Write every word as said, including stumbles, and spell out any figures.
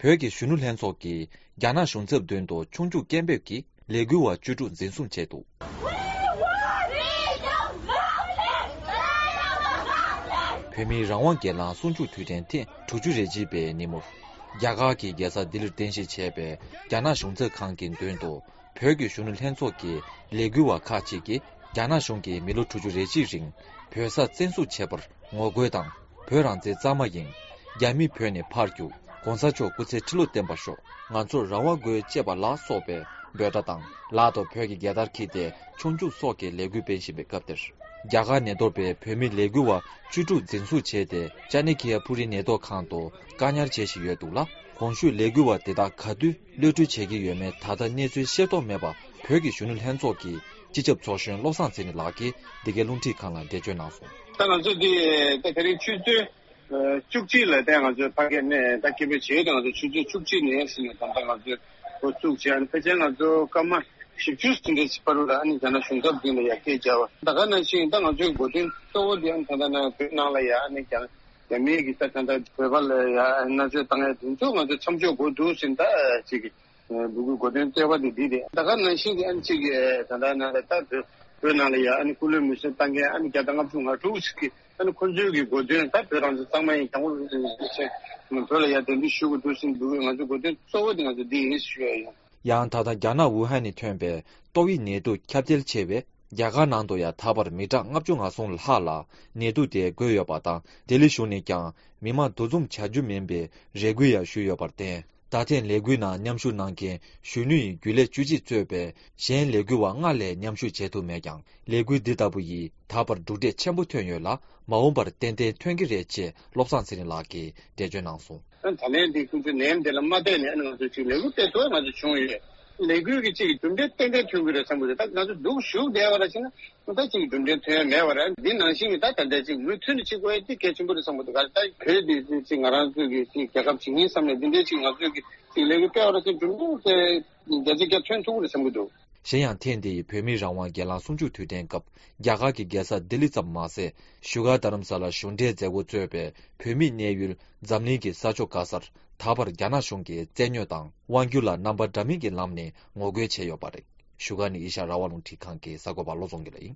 བོད་ཀྱི་གཞོན་ནུ་ལྷན་ཚོགས་ཀྱིས་རྒྱ་ནག་གཞུང་ཚབ་མདུན་དུ་ཆུང་ཆུང་སྐད་འབོད་ཀྱིས་ལས་འགུལ་བ་བཅུ་དྲུག་འཛིན་བཟུང་བྱས་འདུག་བོད་མིའི་རང་དབང་སྒེར་ལངས་སྲུང་སྐྱོབ་དུས་དྲན་ཐེངས་དྲུག་ཅུ་རེ་གཅིག་པའི་ཉིན་མོར། རྒྱ་གར་གྱི་རྒྱལ་ས་ལྡི་ལིར་རྟེན་གཞི་བྱས་པའི་རྒྱ་ནག་གཞུང་ཚབ་ཁང་གི་མདུན་དུ། བོད་ཀྱི་གཞོན་ནུ་ལྷན་ཚོགས་ཀྱི་ལས་འགུལ་བ་ཁག་ཅིག་གིས། རྒྱ་ནག་གཞུང་གིས་མི་ལོ་དྲུག་ཅུ་རེ་གཅིག་རིང་བོད་ས་བཙན་བཟུང་བྱས་པར་ངོ་རྒོལ་དང་། བོད་རང་བཙན་གཙང་མ་ཡིན། རྒྱ་མི་བོད་ནས་ཕར་རྒྱུག་གོང་ས་མཆོག་སྐུ་ཚེ་ཁྲི་ལོ་བརྟན་པར་ཤོག་ང་ཚོར་རང་དབང་དགོས། ཅེས་པ་ལ་སོགས་པའི་འབོད་སྒྲ་དང་། ལག་ཏུ་བོད་ཀྱི་རྒྱལ་དར་འཁྱེར་ཏེ་ཆུང་ཆུང་སོགས་ཀྱི་ལས་འགུལ་སྤེལ་བཞིན་པའི་སྐབས་དེར། རྒྱ་གར་ནས་གཏོར་པའི་བོད་མི་ལས་འགུལ་བ་བཅུ་དྲུག་འཛིན་བཟུང་བྱས་ཏེ། ཅ་ནི་ཁི་ཡ་ཕུ་རི་ནད་ཐོག་ཁང་དུ་བཀག་ཉར་བྱེད་བཞིན་ཡོད་འདུག་ལ། གོང་ཞུས་ལས་འགུལ་བ་དེ་དག་ག་དུས་གློད་གྲོལ་བྱེད་ཀྱི་ཡོད་མེད་ད་ལྟ་གནས་ཚུལ་ཤེས་རྟོགས་མེད་པ། བོད་ཀྱི་གཞོན་ནུ་ལྷན་ཚོགས་ཀྱི་སྤྱི་ཁྱབ་ཚོགས་གཞོན་བློ་བཟང་ཚེ་རིང་ལགས་ཀྱིས་འདི་གའི་རླུང་འཕྲིན་ཁང་ལ་འགྲེལ་བརྗོད་གནང་སོང་། ད་ང་ཚོ་འདི་ད་དེ་རིང་ཆུ་ཚོད་བཅུ་གཅིག་ལ་ད་ང་ཚོ་ཕ་གིར་ནས་ད་སྐད་འབོད་བྱས་ཏེ། ང་ཚོ་ཆུ་ཚོད་བཅུ་གཅིག་ནས་ཟིན་ནས་ད་ལྟ་ང་ཚོས་འགོ་བཙུགས་བྱས། ཨ་ནི་ཕལ་ཆེར་ང་ཚོ་སྐར་མ་བཞི་བཅུ་ཟིན་འདྲ་ཞིག་བར་དུ་ལ་ཨ་ནི་རྒྱ་ནག་གཞུང་ཚབ་མདུན་ལ་ཡར་སྐད་བརྒྱབ་པ། ད་ག་ནང་བཞིན་ད་ང་ཚོའི་འགོ་འདུན་གཙོ་བོ་འདི་ཨ་ནི་ད་ལྟ་ན་བོད་ནང་ལ་ཡ་ཨ་ནི་རྒྱ་རྒྱ་མིའི་གི་ས་ཆ་དང་བོད་པ་ལ་ཡ་མནར་གཅོད་བཏང་ཡ་དེ་ཚོ་ང་ཚོ་མཚམས་འཇོག་དགོས་འདུག་ཟེར་ད་ཅིག་གི་འབོད་སྐུལ་འགོ་དོན་གཙོ་བོ་དེ་འདི་རེད། ད་ག་ནང་བཞིན་གྱི་ཨ་ནི་ཅིག་གི་ད་ལྟ་ན་ད་བོད་བོད་ནང་ལ་ཡ་ཨ་ནི་སྐུ་ལུས་མེར་སྲེག་བཏང་མཁན་ཨ་ནི་བརྒྱ་དང་ལྔ་བཅུ་ང་དྲུག་ཅིག་གི་ཨ་ནི་ཁོ་ཚོའི་གི་འགོ་དོན་ད་བོད་རང་བཙན་གཙང་མ་ཡིན། གྱང་ངོ་ཆེ་བོད་ལ་ཡ་གདན་འདྲེན་ཞུ་དགོས་འདུག་ཟེར་འབོད་སྐུལ་ང་ཚོའི་འགོ་དོན་གཙོ་བོ་དེ་ང་ཚོ་འདི་ཡིན་ཞུ་ཡ་ཡིན། ཡང་ད་ལྟ་རྒྱ་ནག་ཝུ་ཧན་ནས་ཐོན་པའི་ཏོག་དབྱིབས་ནད་དུག་ཁྱབ་གདལ་ཆེ་བས། རྒྱ་གར་ནང་དུ་ཡང་ད་བར་མི་གྲངས་ལྔ་བཅུ་ང་གསུམ་ལྷག་ལ་ནད་དུག་དེ་འགོས་ཡོད་པ་དང་། ལྡི་ལི་གཞུང་ནས་ཀྱང་མི་མང་འདུ་འཛོམས་བྱ་རྒྱུ་མིན་པའི་རེ་སྐུལ་ཡང་ཞུས་ཡོད་པར་བརྟེན། ད་ཐེངས་ལས་འགུལ་ནང་མཉམ་ཞུགས་གནང་མཁན་གཞོན་ནུ་ཡི་རྒྱུན་ལས་བཅུ་གཅིག་གཙོས་པའི་གཞན་ལས་འགུལ་བ་ལྔ་ལས་མཉམ་ཞུགས་བྱེད་ཐུབ་མེད་ཀྱང་། ལས་འགུལ་འདི་ལྟ་བུ་ཡིས་ད་བར་གྲུབ་འབྲས་ཆེན་པོ་ཐོན་ཡོད་ལ། མ་འོངས་པར་ཏན་ཏན་ཐོན་གྱི་རེད་ཅེས་བློ་བཟང་ཚེ་རིང་ལགས་ཀྱིས་འགྲེལ་བརྗོད་གནང་སོང་། ད་ལན་འདི་ཁོང་ཚོའི་ནད་ཡམས་དེ་ལ་མ་བལྟས་ནས་ང་ཚོ་ཅིག་ལས་འགུལ་སྤེལ་ཐུབ་པ་ང་ཚོ་བྱུང་ཡོད། ལས་འགུལ་གྱི་ཅིག་གྲུབ་འབྲས་ཏན་ཏན་ཐོན་གྱི་རེད་བསམ་གྱི་རེད། ད་ང་ཚོ་སྡུག་ཞུགས་བསྡད་པ་ར་ཅིག་ན་ད་ཅིག་གྲུབ་འབྲས་ཐོན་ཡ་མེད་པ་རེད། འདི་ནང་བཞིན་གྱི་ད་ད་ལྟ་ཅིག་མུ་མཐུད་ནས་ཅིག་དགོས་ཡ་འདི་གལ་ཆེན་པོ་རེད་བསམ་གྱི་འདུག་ད་བོད་འདི་ཅིག་ང་རང་ཚོའི་གི་ཅིག་རྒྱལ་ཁབ་ཅིག་ཡིན་བསམ་ནས་འདི་འདྲའི་ཅིག་ང་ཚོའི་གི་ཅིག་ལས་འགུལ་སྤེལ་བ་ར་ཅིག་གྲུབ་འབྲས་དེ་བརྒྱ་ཆ་བརྒྱ་ཐོན་ཐུབ་ཀྱི་རེད་བསམ་གྱི་འདུག་གཞན་ཡང་ཐེངས་འདིའི་བོད་མིའི་རང་དབང་སྒེར་ལངས་གསུམ་བཅུ་དུས་དྲན་སྐབས། རྒྱ་གར་གྱི་རྒྱལ་ས་ལྡི་ལི་ཙམ་མ་ཟད། བཞུགས་སྒར་རྡ་རམ་ས་ལ་གཞུང་འབྲེལ་མཛད་སྒོ་གཙོས་པའི་བོད་མིའི་གནས་ཡུལ་འཛམ་གླིང་གི་ས་ཕྱོགས་ག་སར་ད་བར་རྒྱ་ནག་གཞུང་གིས་བཙན་གནོན་དང་དབང་སྒྱུར་ལ་རྣམ་པ་འདྲ་མིན་གྱི་ལམ་ནས་ངོ་རྒོལ་བྱས་ཡོད་པ་རེད། བཞུགས་སྒར་ནས་ཨེ་ཤ་ཡ་རང་དབང་རླུང་འཕྲིན་ཁང་གི་གསར་འགོད་པ་བློ་བཟང་དགེ་ལགས་ཡིན།